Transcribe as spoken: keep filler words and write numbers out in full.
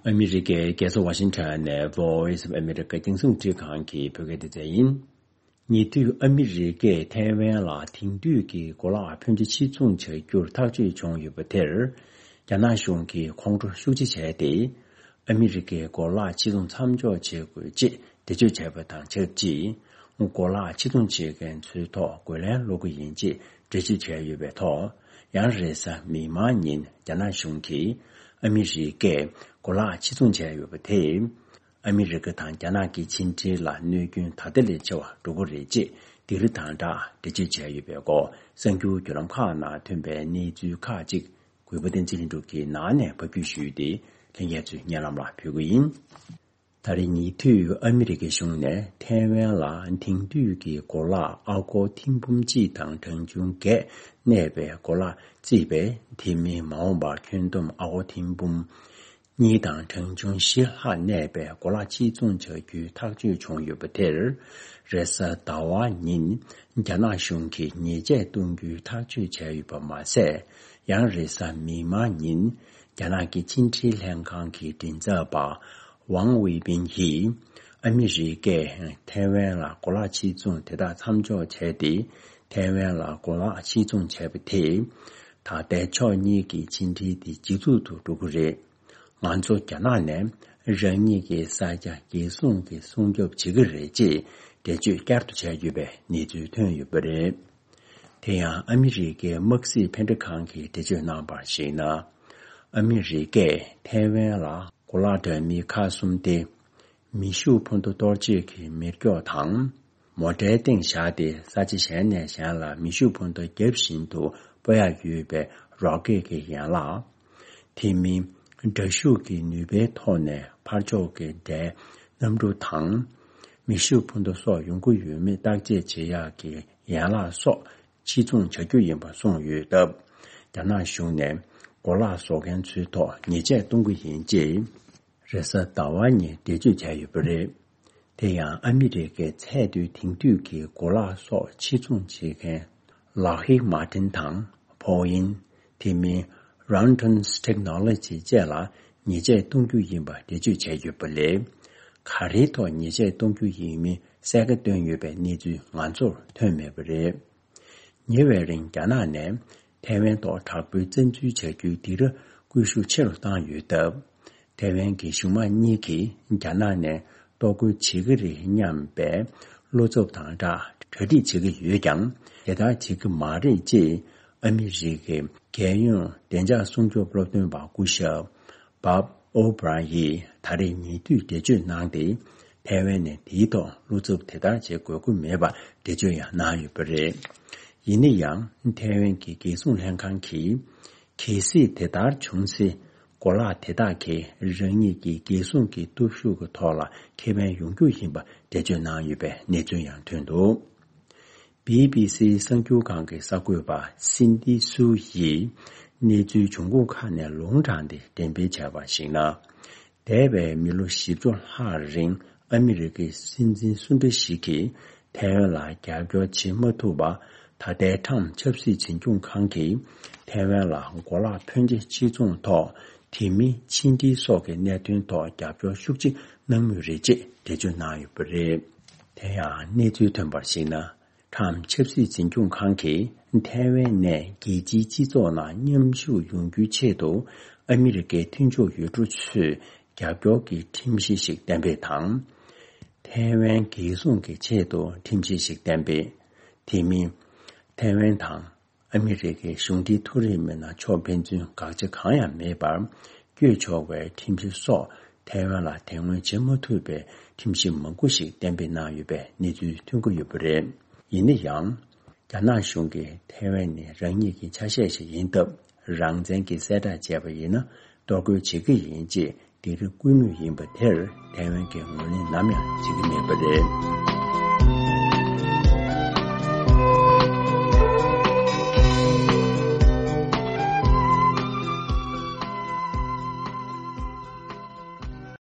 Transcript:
ཨ་མི་རི་ཀའི་རྒྱལ་ས་ཝ་ཤིང་ཊོན་ནས་Voice of America་རྒྱང་སྲིང་རླུང་འཕྲིན་ཁང་གི་བོད་སྐད་སྡེ་ཚན་ཡིན། ཉེ་དུས་ཨ་མི་རི་ཀས་ཐའེ་ཝན་ལ་དེང་དུས་ཀྱི་གོ་ལག་ཕོན་ཆེ་ཕྱིར་ཚོང་བྱ་རྒྱུར་ཐག་གཅོད་བྱུང་ཡོད་པ་དེར། རྒྱ་ནག་གཞུང་གིས་ཁོང་ཁྲོ་ཤུགས་ཆེ་བྱས་ཏེ། ཨ་མི་རི་ཀས་གོ་ལག་ཕྱིར་ཚོང་མཚམས་འཇོག་བྱེད་དགོས་ཅེས་འགྲེལ་བརྗོད་བྱས་པ་དང་ཆབས་ཅིག་གོ་ལག་ཕྱིར་ཚོང་བྱེད་མཁན་ཚོའི་ཐོག་རྒོལ་ལན་སློག་གི་ཡིན་ཅེས་འགྲེལ་བརྗོད་བྱས་ཡོད་པའི་ཐོག་ཡང་རེས་གཟའ་མིག་དམར་ཉིན་རྒྱ་ནག་གཞུང་གིས་ཨ་མི་རི་ཀས་གོ་ལག་ཕྱིར་ཚོང་བྱས་ཡོད་པ་དེས། ཨ་མི་རི་ཀ་དང་རྒྱ་ནག་གི་ཕྱི་འབྲེལ་ལ་གནོད་སྐྱོན་ད་ལྟ་ལས་ཆེ་བ་འགྲོ་གི་རེད་ཅེས་འདི་རུ་དང་སྦྲགས་འགྲེལ་བརྗོད་བྱས་ཡོད་པའི་སྐོར་གསར་འགྱུར་བརྒྱུད་ལམ་ཁག་ནང་ཐོན་པའི་གནས་ཚུལ་ཁག་ཅིག་གུས་པ་བསྟན་འཛིན་ལྷུན་གྲུབ་ཀྱིས་ནང་ནས་ཕབ་སྒྱུར་ཞུས་ཏེ་ལྷན་རྒྱས་ཚོའི་སྙན་ལམ་ལ་ཕུལ་གྱི་ཡིན། ད་རེས་ཉེ་དུས་ཨ་མི་རི་ཀའི་གཞུང་ནས་ཐའེ་ཝན་ལ་དེང་དུས་ཀྱི་གོ་ལག་ཨ་སྒོར་ཐེར་འབུམ་གཅིག་དང་གྲངས་ཆུང་བརྒྱད་གནས་པའི་གོ་ལག་བརྩིས་པས། དེ་མིན་མ་འོངས་པར་ཁྱོན་བསྡོམས་ཨ་སྒོར་ཐེར་འབུམ་གཉིས་དང་གྲངས་ཆུང་བཞི་ལྷག་གནས་པའི་གོ་ལག་ཕྱིར་ཚོང་བྱ་རྒྱུའི་ཐག་གཅོད་བྱུང་ཡོད་པ་དེར། རེས་གཟའ་ཟླ་བ་ཉིན་རྒྱ་ནག་གཞུང་གིས་ཉེས་ཆད་གཏོང་རྒྱུའི་ཐག་གཅོད་བྱས་ཡོད་པ་མ་ཟད། ཡང་རེས་གཟའ་མིག་དམར་ཉིན་རྒྱ་ནག་གི་ཕྱི་འབྲེལ་ལྷན་ཁང་གི་མགྲིན་ཚབ་པ་ཝང་ཝེ་པིན་གྱིས། ཨ་མི་རི་ཀས་ཐའེ་ཝན་ལ་གོ་ལག་ཕྱིར་ཚོང་དེ་དག་མཚམས་འཇོག་བྱས་ཏེ། ཐའེ་ཝན་ལ་གོ་ལག་ཕྱིར་ཚོང་བྱས་པ་དེས། ད་ལྟའི་ཕྱོགས་གཉིས་ཀྱི་ཕྱི་འབྲེལ་དེ་ཇེ་སྡུག་ཏུ་འགྲོ་གི་རེད། ང་ཚོ་རྒྱ་ནག་ནས་རང་ཉིད་ཀྱི་ས་ཆ་རྒྱལ་སྲུང་གི་སྲུང་སྐྱོབ་བྱེད་ཀྱི་རེད་ཅེས་འགྲེལ་བརྗོད་བསྐྱར་དུ་བྱས་ཡོད་པའི་གནས་ཚུལ་ཐོན་ཡོད་པ་རེད། དེ་ཡང་ཨ་མི་རི་ཀའི་དམག་སྲིད་ཕན་འབྲས་ཁང་གིས་འགྲེལ་བརྗོད་གནང་བར་གཞིགས་ན། ཨ་མི་རི་ཀས་ཐའེ་ཝན་ལ་གོ་ལག་འདྲ་མིན་ཁག་གསུམ་སྟེ། མེ་ཤུགས་འཕུར་མདའ་གཏོར་བྱེད་ཀྱི་མེ་སྒྱོགས་དང་། མོ་ཊའི་སྟེང་བཞག་སྟེ་ས་ཆ་གཞན་ནས་གཞན་ལ་མེ་ཤུགས་འཕུར་མདའ་བརྒྱབ་བཞིན་དུ་སྤོ་ཡག་ཡོད་པའི་རོ་ཀེད་ཀྱི་ཡན་ལག་དེ་མིན། དྲག་ཤུགས་ཀྱི་ནུས་པའི་ཐོག་ནས་ཕར་ཕྱོགས་ཀྱི་དགྲའི་གནམ་གྲུ་དང་། མེ་ཤུགས་འཕུར་མདའ་སོགས་ཡོང་གི་ཡོད་མེད་བརྟག་དཔྱད་བྱེད་ཡག་གི་ཡན་ལག་སོགས་ཕྱིར་ཚོང་བྱ་རྒྱུ་ཡིན་པ་གསུངས་ཡོད་སྟབས། རྒྱ་ནག་གཞུང་ནས་གོ་ལག་བཟོ་མཁན་ཚོའི་ཐོག་ཉེས་ཆད་གཏོང་གི་ཡིན་ཅེས། རེས་གཟའ་ཟླ་བ་ཉིན་འགྲེལ་བརྗོད་བྱས་ཡོད་པ་རེད། དེ་ཡང་ཨ་མི་རི་ཀའི་ཚད་མཐོའི་དེང་དུས་ཀྱི་གོ་ལག་སོགས་ཕྱིར་ཚོང་བྱེད་མཁན་Lockheed Martin་དང་Boeing་དེ་མིན་Raytheon's Technology་བཅས་ལ་ཉེས་ཆད་གཏོང་རྒྱུ་ཡིན་པ་འགྲེལ་བརྗོད་བྱས་ཡོད་པ་ལས། ག་རེའི་ཐོག་ཉེས་ཆད་གཏོང་རྒྱུ་ཡིན་མིན་གསལ་ཁ་བཏོན་ཡོད་པའི་གནས་ཚུལ་ང་ཚོར་ཐོན་མེད་པ་རེད། ཉེ་བའི་རིང་རྒྱ་ནག་ནས་ཐའེ་ཝན་ཐོག་དྲག་པོའི་བཙན་འཛུལ་བྱ་རྒྱུའི་འདི་རུ་སྐུལ་ཤུགས་ཆེ་རུ་བཏང་ཡོད་སྟབས། ཐའེ་ཝན་གྱི་གཞུང་དམངས་གཉིས་ཀྱིས་རྒྱ་ནག་ནས་གཏོར་རྒོལ་བྱེད་ཀྱི་རེད་སྙམ་པའི་བློ་འཚབ་དང་སྦྲགས་གྲ་སྒྲིག་བྱེད་ཀྱི་ཡོད་ཀྱང་། དེ་ལྟར་བྱེད་ཀྱི་མ་རེད་ཅེས་ཨ་མི་རི་ཀའི་རྒྱལ་ཡོངས་བདེ་འཇགས་སྲུང་སྐྱོབ་སློབ་སྟོན་པ་སྐུ་ཞབས་Bob O'Brien་ཡིས་ད་རེས་ཉེ་དུས་འགྲེལ་བརྗོད་གནང་སྟེ། ཐའེ་ཝན་ནས་དེའི་ཐོག་བློ་འཚབ་དེ་ལྟར་བྱེད་དགོས་མཁོ་མེད་པར་འགྲེལ་བརྗོད་ཡང་གནང་ཡོད་པ་རེད། ཡིན་ན་ཡང་། ཐའེ་ཝན་གྱི་རྒྱལ་སྲུང་ལྷན་ཁང་གིས། གལ་སྲིད་དེ་ལྟར་བྱུང་ཚེ། གོ་ལག་དེ་དག་གིས་རང་ཉིད་ཀྱི་རྒྱལ་སྲུང་གི་སྟོབས་ཤུགས་ཀྱི་ཐོག་ལ་ཁེ་ཕན་ཡོང་རྒྱུ་ཡིན་པ་འགྲེལ་བརྗོད་གནང་ཡོད་པའི་གནས་ཚུལ་ཡང་ཐོན་འདུག། བྷི་བྷི་སི་གསར་འགྱུར་ཁང་གི་གསར་འགོད་པ་སིན་ཏི་སུའུ་ཡིས་གནས་ཚུལ་འབྱུང་ཁུངས་ཁག་ནས་ལུང་དྲངས་ཏེ་འགྲེམས་སྤེལ་བྱས་པར་གཞིགས་ན། འདས་པའི་མི་ལོ་བཞི་བཅུ་ལྷག་རིང་ཨ་མི་རི་ཀའི་སྲིད་འཛིན་སུ་འདྲ་ཞིག་གིས་ཐའེ་ཝན་ལ་རྒྱབ་སྐྱོར་བྱེད་མ་ཐུབ་པ། ད་ལྟའི་ཁྲམ་ཆབ་སྲིད་འཛིན་སྐྱོང་ཁང་གིས་ཐའེ་ཝན་ལ་གོ་ལག་ཕོན་ཆེ་ཕྱིར་ཚོང་ཐོག་དེ་མིན་ཕྱི་འབྲེལ་སོགས་ཀྱི་གནད་དོན་ཐོག་རྒྱབ་སྐྱོར་ཤུགས་ཆེ་གནང་མུས་རེད་ཅེས་འགྲེལ་བརྗོད་གནང་ཡོད་པ་རེད། དེ་ཡང་གནས་ཚུལ་ཐོན་པར་གཞིགས་ན། ཁྲམ་ཆབ་སྲིད་འཛིན་སྐྱོང་ཁང་གིས་ཐའེ་ཝན་ནས་རྒྱལ་སྤྱིའི་སྤྱི་ཚོགས་ནང་མཉམ་ཞུགས་ཡོང་རྒྱུའི་ཆེད་དུ་ཨ་མི་རི་ཀའི་མཐུན་ཕྱོགས་ཡུལ་གྲུ་ཚོས་རྒྱབ་སྐྱོར་གྱི་ཁྲིམས་གཞི་ཞིག་གཏན་འབེབས་དང་། ཐའེ་ཝན་རྒྱལ་སྲུང་གི་ཆེད་དུ་ཁྲིམས་གཞི་ཞིག་གཏན་འབེབས། དེ་མིན། ཐའེ་ཝན་དང་ཨ་མི་རི་ཀའི་གཞུང་འབྲེལ་མཐོ་རིམ་མི་སྣ་ཕྱོགས་ཕན་ཚུན་དགག་བྱ་གང་ཡང་མེད་པར་བསྐྱོད་ཆོག་པའི་ཁྲིམས་གཞི་སོགས་ཐའེ་ཝན་ལ་དེ་སྔོན་བྱེད་མ་ཐུབ་པའི་ཁྲིམས་གཞི་མང་པོ་ཞིག་གཏན་འབེབས་གནང་ཡོད་པའི་གནས་ཚུལ་ཐོན་གྱི་ཡོད་པ་རེད། ཡིན་ན་ཡང་། རྒྱ་ནག་གཞུང་གིས་ཐའེ་ཝན་ནི་རང་ཉིད་ཀྱི་ཆ་ཤས་ཤིག་ཡིན་སྟབས། རང་བཙན་གྱི་གསལ་བསྒྲགས་བྱས་པ་ཡིན་ན་གཏོར་རྒོལ་བྱེད་ཀྱི་ཡིན་ཅེས་འདི་རུ་བསྐུལ་མུས་ཡིན་པ་དེར་ཐའེ་ཝན་གྱིས་ངོས་ལེན་ནམ་ཡང་བྱེད་ཀྱི་མེད་པ་རེད།